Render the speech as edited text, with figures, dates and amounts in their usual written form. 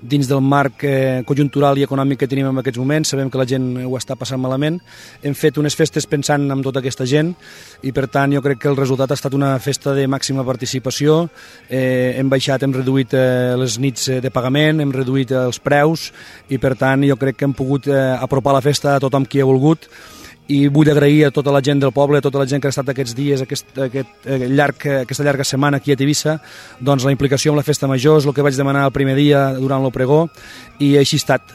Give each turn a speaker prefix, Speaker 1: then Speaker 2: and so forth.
Speaker 1: dins del marc conjuntural i econòmic que tenim en aquests moments. Sabem que la gent ho està passant malament. Hem fet unes festes pensant en tota aquesta gent i per tant jo crec que el resultat ha estat una festa de màxima participació. Hem reduït les nits de pagament, hem reduït els preus i per tant jo crec que hem pogut apropar la festa a tothom qui ha volgut. I vull agrair a tota la gent del poble, a tota la gent que ha estat aquests dies, aquesta llarga setmana aquí a Tivissa, doncs la implicació amb la festa major és el que vaig demanar el primer dia durant el pregó i així ha estat.